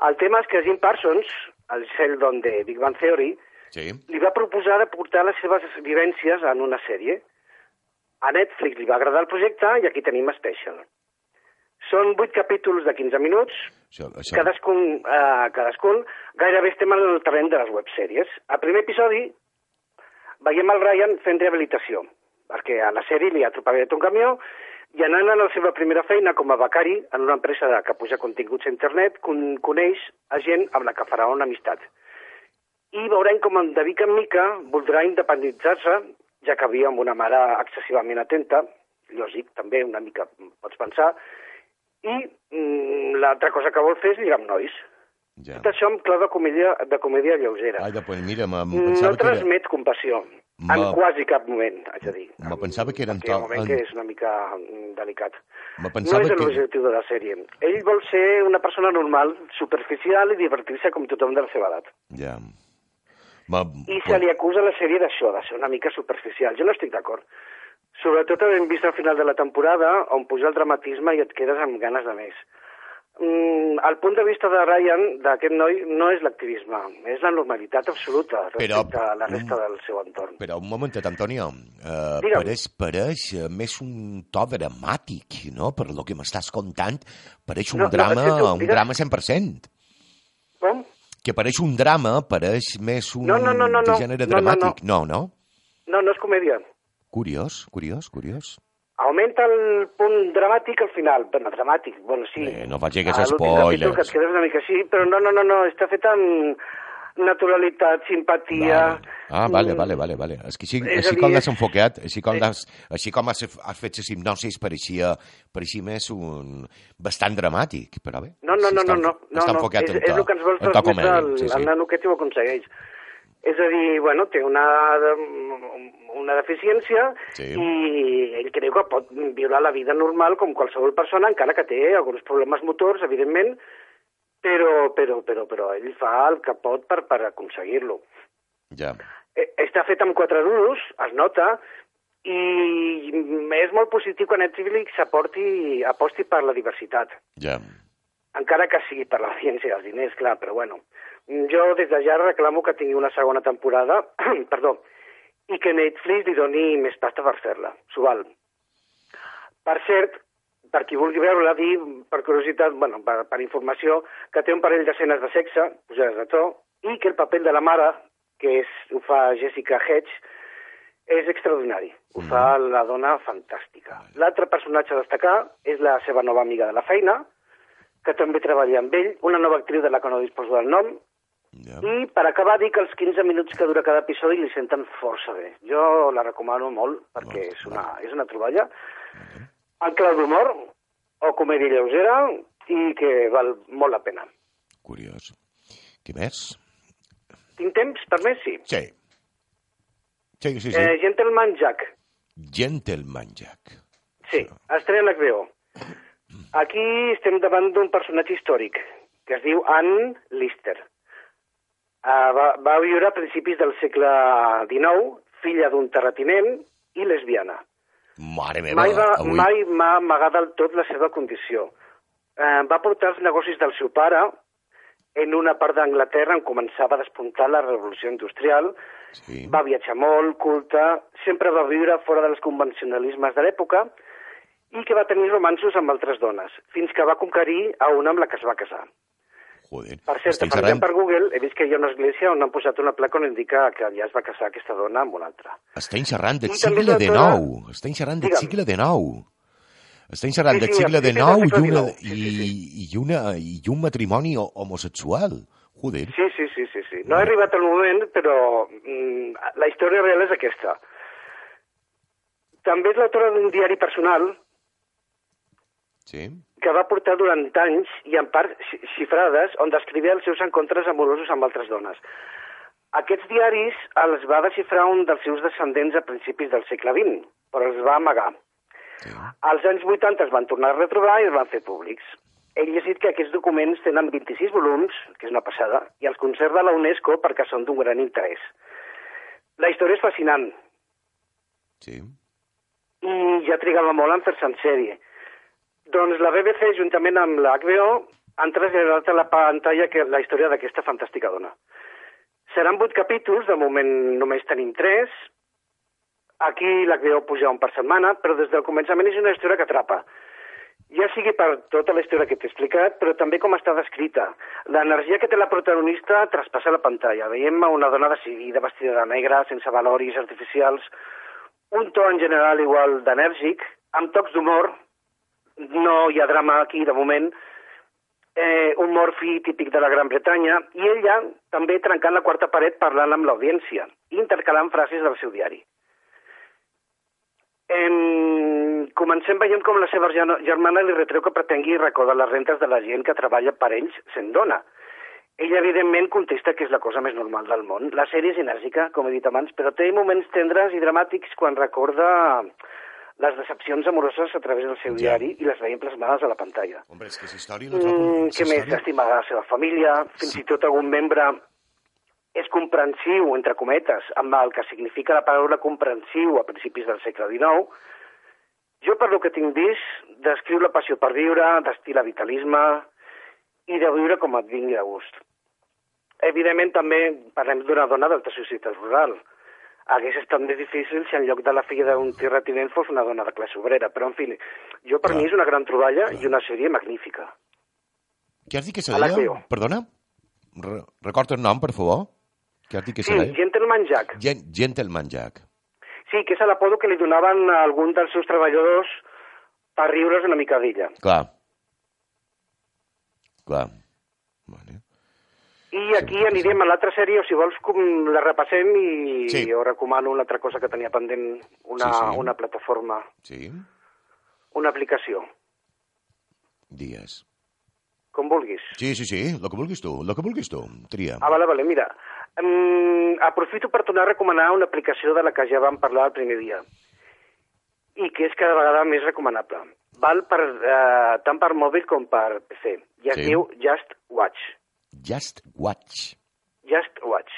El tema és que Jim Parsons, el Sheldon de Big Bang Theory, li va proposar de portar les seves vivències en una sèrie. A Netflix li va agradar el projecte i aquí tenim Special. Són 8 capítols de 15 minuts, cadascun gairebé estem en el terreny de les websèries. Al primer episodi veiem el Ryan fent rehabilitació, perquè a la sèrie li ha atropellat un camió i anant a la seva primera feina com a becari en una empresa que puja continguts a internet, coneix a gent amb la que farà una amistat. I veurem com de mica en mica voldrà independitzar-se, ja que havia amb una mare excessivament atenta, lògic, també una mica pots pensar, i l'altra cosa que vol fer és lligar amb nois. Ja. Tot això amb clau de comèdia lleugera. Ai, doncs mira, no transmet compassió. En quasi cap moment, haig de dir. Me pensava que era en moment que és una mica delicat. No és l'objectiu de la sèrie. Ell vol ser una persona normal, superficial i divertir-se com tothom de la seva edat. Ja. I se li acusa a la sèrie d'això, de ser una mica superficial. Jo no estic d'acord. Sobretot havent vist al final de la temporada, on puja el dramatisme i et quedes amb ganes de més. El punt de vista de Ryan, d'aquest noi, no és l'activisme, és la normalitat absoluta respecte a la resta del seu entorn. Però un momentet, Antonio, pareix més un to dramàtic, no? Per lo que m'estàs contant, pareix un drama 100%. Com? Que pareix un drama, pareix més un de gènere dramàtic. No. No, és comèdia. Curiós. Augmenta el punt dramàtic al final. Dramàtic, sí. No facis spoilers. Que et quedes una mica així, però no, està fet amb naturalitat, simpatia... Vale. És que així com l'has enfocat, així com has fet les hipnosis, pareixia més bastant dramàtic, però bé. No, està enfocat és el que ens vol transmetre el nano aquest i ho aconsegueix. És a dir, té una deficiència i ell creu que pot viure la vida normal com qualsevol persona, encara que té alguns problemes motors, evidentment, però ell fa el que pot per aconseguir-lo. Ja. Està fet amb 4 duros, es nota, i és molt positiu que Netflix aposti per la diversitat. Ja. Encara que sigui per la ciència i els diners, clar, però bueno. Jo des de ja reclamo que tingui una segona temporada, i que Netflix li doni més pasta per fer-la. S'ho val. Per cert, per qui vulgui veure-la, dir, per curiositat, per informació, que té un parell d'escenes de sexe, pujades de to, i que el paper de la mare, que ho fa Jessica Hedge, és extraordinari. Ho fa la dona fantàstica. L'altre personatge a destacar és la seva nova amiga de la feina, que també treballa amb ell, una nova actriu de la que no disposo del nom, i per acabar dir que els 15 minuts que dura cada episodi li senten força bé. Jo la recomano molt perquè és una troballa en clau d'humor o comèdia lleugera i que val molt la pena. Curiós. Què més? Tinc temps per més? Sí. Sí. Gentleman Jack. Sí, estrena HBO. Aquí estem davant d'un personatge històric que es diu Anne Lister. Va viure a principis del segle XIX, filla d'un terratinent i lesbiana. Mare meva, mai m'ha amagat del tot la seva condició. Va portar els negocis del seu pare en una part d'Anglaterra on començava a despuntar la revolució industrial. Sí. Va viatjar molt, culta, sempre va viure fora dels convencionalismes de l'època i que va tenir romanços amb altres dones, fins que va conquerir a una amb la que es va casar. Joder. Per cert, per Google he vist que hi ha una església on han posat una placa on indica que ja es va casar aquesta dona amb una altra. Estem xerrant del segle XIX. Estem xerrant del segle XIX. Estem xerrant del segle XIX i un matrimoni homosexual. Joder. Sí. No ha arribat el moment, però la història real és aquesta. També és l'autora d'un diari personal que va portar durant anys i en part xifrades on descrivia els seus encontres amorosos amb altres dones. Aquests diaris els va desxifrar un dels seus descendents a principis del segle XX, però els va amagar. Als anys 80 es van tornar a retrobar i els van fer públics. He llegit que aquests documents tenen 26 volums, que és una passada, i els conserva la UNESCO perquè són d'un gran interès. La història és fascinant. Sí. I ja trigava molt en fer-se en sèrie. Doncs la BBC, juntament amb la HBO, han traslladat a la pantalla la història d'aquesta fantàstica dona. Seran 8 capítols, de moment només tenim 3. Aquí la HBO puja un per setmana, però des del començament és una història que atrapa. Ja sigui per tota la història que t'he explicat, però també com està descrita. L'energia que té la protagonista traspassa la pantalla. Veiem una dona decidida, vestida de negre, sense valoris artificials, un to en general igual d'enèrgic, amb tocs d'humor. No hi ha drama aquí, de moment, humor fi típic de la Gran Bretanya, i ella també trencant la quarta paret parlant amb l'audiència i intercalant frases del seu diari. comencem veient com la seva germana li retreu que pretengui recordar les rentes de la gent que treballa per ells sent dona. Ella, evidentment, contesta que és la cosa més normal del món. La sèrie és enèrgica, com he dit abans, però té moments tendres i dramàtics quan recorda les decepcions amoroses a través del seu diari i les veiem plasmades a la pantalla. Hombre, és que és història... Què més? Estima la seva família, fins i tot algun membre és comprensiu, entre cometes, amb el que significa la paraula comprensiu a principis del segle XIX. Jo, per lo que tinc vist, descriu la passió per viure, d'estil vitalisme i de viure com et vingui de gust. Evidentment, també parlem d'una dona d'alta societat rural. Hagués estat més difícil si en lloc de la filla d'un terratinent fos una dona de classe obrera, però, en fi, jo per mi és una gran troballa i una sèrie magnífica. Què has dit que se deia? Perdona? Recorda el nom, per favor? Què has dit que se deia? Gentleman Jack. Gentleman Jack. Sí, que és l'apodo que li donaven a algun dels seus treballadors per riure's una mica d'ella. Clar. I aquí anirem a l'altra sèrie, o si vols la repassem i jo recomano una altra cosa que tenia pendent, una plataforma. Sí. Una aplicació. Digues. Com vulguis. Sí, el que vulguis tu, tria. Vale, mira. Aprofito per tornar a recomanar una aplicació de la que ja vam parlar el primer dia i que és cada vegada més recomanable. Val tant per mòbil com per PC. I es diu Just Watch. Just Watch. Just Watch.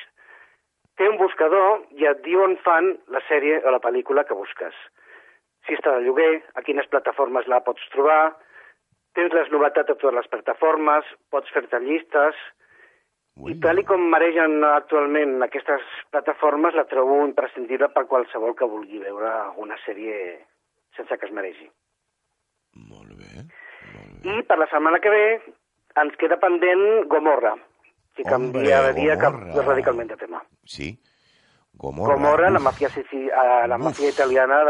Té un buscador i et diu on fan la sèrie o la pel·lícula que busques. Si està de lloguer, a quines plataformes la pots trobar, tens les novetats a totes les plataformes, pots fer-te llistes, i tal com maregen actualment aquestes plataformes, la trobo imprescindible per qualsevol que vulgui veure una sèrie sense que es mereixi. Molt bé. I per la setmana que ve ens queda pendent Gomorra, que canvia de dia radicalment de tema. Sí, Gomorra. Gomorra, la màfia italiana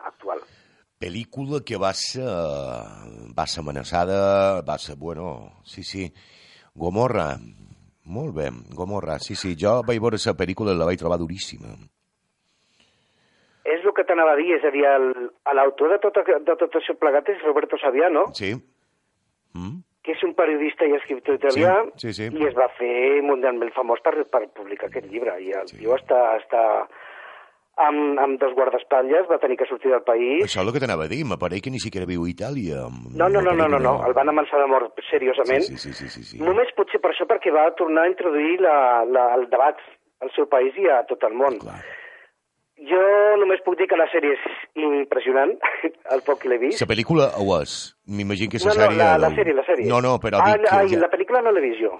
actual. Pel·lícula que va ser amenaçada, sí, Gomorra, molt bé, Gomorra, sí, jo vaig veure la pel·lícula i la vaig trobar duríssima. És el que t'anava a dir, és a dir, l'autor de tot això plegat és Roberto Saviano, sí. Que és un periodista i escriptor italià, sí. I es va fer mundialment famós per publicar aquest llibre, i el tio està amb dos guardaespatlles, va tenir que sortir del país. Això és el que t'anava a dir, m'apareix que ni siquiera viu a Itàlia. No, el van amenaçar de mort seriosament. Sí. Només potser per això, perquè va tornar a introduir el debat al seu país i a tot el món. Clar. Jo només puc dir que la sèrie és impressionant, el poc que l'he vist. La pel·lícula ho és? M'imagino que la sèrie... No, la sèrie. No, però dic que... La pel·lícula no l'he vist jo.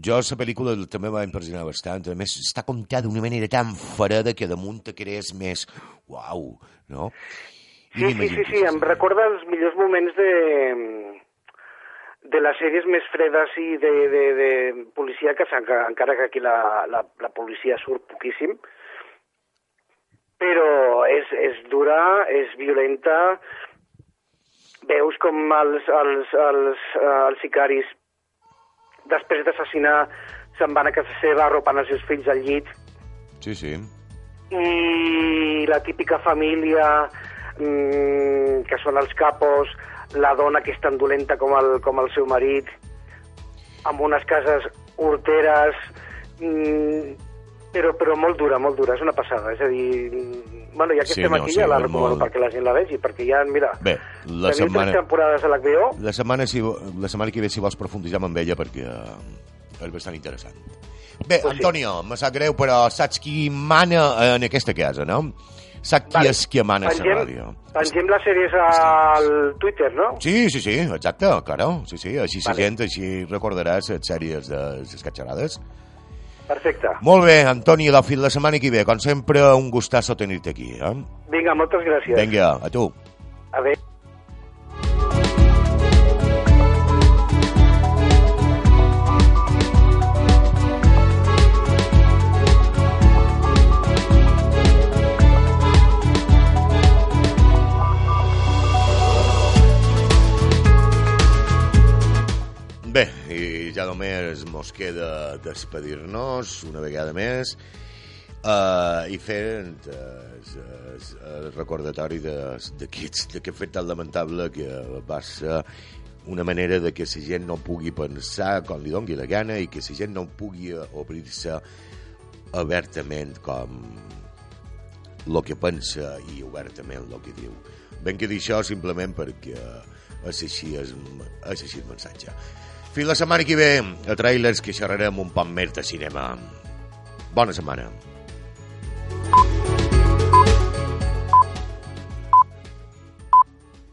Jo la pel·lícula també va impressionar bastant. A més, està contada d'una manera tan fareda que damunt te crees més... Uau, no? Sí, em recorda els millors moments de les sèries més fredes i de policia, encara que aquí la policia surt poquíssim, però és dura, és violenta. Veus com els sicaris, després d'assassinar, se'n van a casa seva arropant els seus fills al llit. Sí. I la típica família, que són els capos, la dona que és tan dolenta com el seu marit, amb unes cases horteres... Però molt dura, és una passada. És a dir, ja que estem aquí, ja la recomano perquè la gent la vegi, perquè ja, mira, tenim 3 temporades a l'HBO. La setmana que ve, si vols, profundizar amb ella, perquè és bastant interessant. Bé, Antonio, me sap greu, però saps qui mana en aquesta casa, no? Saps qui és qui mana a la ràdio? Pengem les sèries al Twitter, no? Sí, exacte, claro. Sí, així la gent, així recordaràs les sèries de les catxarades. Perfecte. Molt bé, Antoni, fins la setmana que ve. Com sempre, un gustazo tenir-te aquí. Vinga, moltes gràcies. Vinga, a tu. Adéu. Bé, i ja només mos queda despedir-nos una vegada més i fent el recordatori d'aquest fet tan lamentable que va ser una manera de que la gent no pugui pensar com li doni la gana i que la gent no pugui obrir-se obertament com el que pensa i obertament el que diu. Ben que dir això simplement perquè és així el missatge. Fins la setmana que ve, a Trailers, que xerrarem un poc més de cinema. Bona setmana.